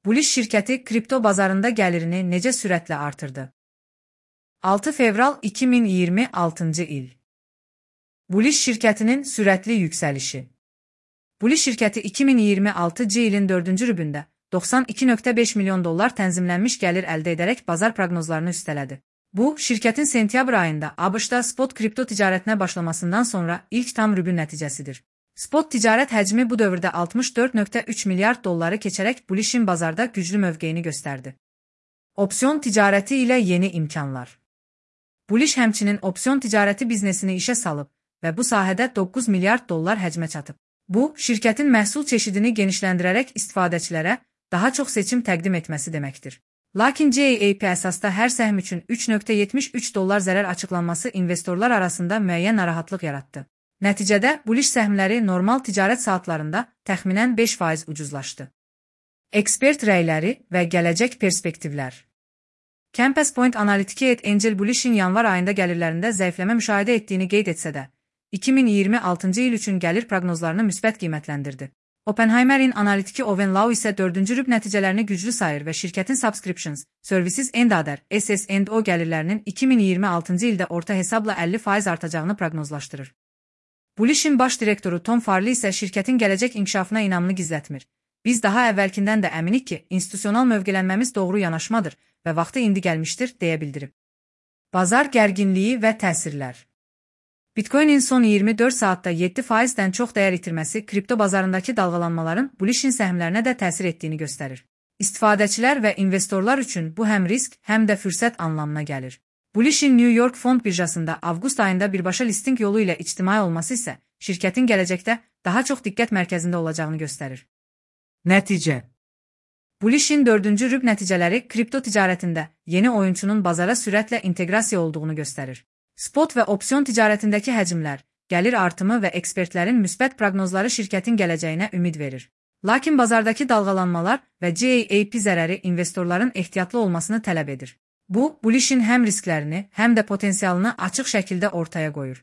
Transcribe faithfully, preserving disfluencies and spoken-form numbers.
Bullish şirkəti kripto bazarında gəlirini necə sürətlə artırdı? altı fevral iki min iyirmi altıncı il. Bullish şirkətinin sürətli yüksəlişi. Bullish şirkəti iki min iyirmi altıncı ilin dördüncü rübündə doxsan iki nöqtə beş milyon dollar tənzimlənmiş gəlir əldə edərək bazar proqnozlarını üstələdi. Bu, şirkətin sentyabr ayında ABŞ-da spot kripto ticarətinə başlamasından sonra ilk tam rübün nəticəsidir. Spot ticarət həcmi bu dövrdə altmış dörd nöqtə üç milyard dolları keçərək Bullish'in bazarda güclü mövqeyini göstərdi. Opsiyon ticarəti ilə yeni imkanlar. Bullish həmçinin opsiyon ticarəti biznesini işə salıb və bu sahədə doqquz milyard dollar həcmə çatıb. Bu, şirkətin məhsul çeşidini genişləndirərək istifadəçilərə daha çox seçim təqdim etməsi deməkdir. Lakin C A P əsasda hər səhm üçün üç nöqtə yetmiş üç dollar zərər açıqlanması investorlar arasında müəyyən narahatlıq yaratdı. Nəticədə Bullish səhmləri normal ticarət saatlarında təxminən beş faiz ucuzlaşdı. Ekspert rəyləri və gələcək perspektivlər. Compass Point analitiki et Angel Bullish'in yanvar ayında gəlirlərində zəifləmə müşahidə etdiyini qeyd etsə də, iki min iyirmi altıncı il üçün gəlir proqnozlarını müsbət qiymətləndirdi. Oppenheimer'in analitiki Owen Lau isə dördüncü rüb nəticələrini güclü sayır və şirkətin Subscriptions, Services and Other S S and O gəlirlərinin iki min iyirmi altıncı ildə orta hesabla əlli faiz artacağını proqnozlaşdırır. Bullish'in baş direktoru Tom Farley isə şirkətin gələcək inkişafına inamını gizlətmir. Biz daha əvvəlkindən də əminik ki, institusional mövqelənməmiz doğru yanaşmadır və vaxtı indi gəlmişdir, deyə bildirib. Bazar gərginliyi və təsirlər. Bitcoin'in son iyirmi dörd saatda yeddi faizdən çox dəyər itirməsi kripto bazarındakı dalğalanmaların Bullish'in səhmlərinə də təsir etdiyini göstərir. İstifadəçilər və investorlar üçün bu həm risk, həm də fürsət anlamına gəlir. Bullish'in New York Fond birjasında avqust ayında birbaşa listing yolu ilə ictimai olması isə şirkətin gələcəkdə daha çox diqqət mərkəzində olacağını göstərir. Nəticə. Bullish'in dördüncü rüb nəticələri kripto ticarətində yeni oyunçunun bazara sürətlə inteqrasiya olduğunu göstərir. Spot və opsiyon ticarətindəki həcmlər, gəlir artımı və ekspertlərin müsbət proqnozları şirkətin gələcəyinə ümid verir. Lakin bazardakı dalğalanmalar və C A P zərəri investorların ehtiyatlı olmasını tələb edir. Bu, Bullish'in həm risklərini, həm də potensialını açıq şəkildə ortaya qoyur.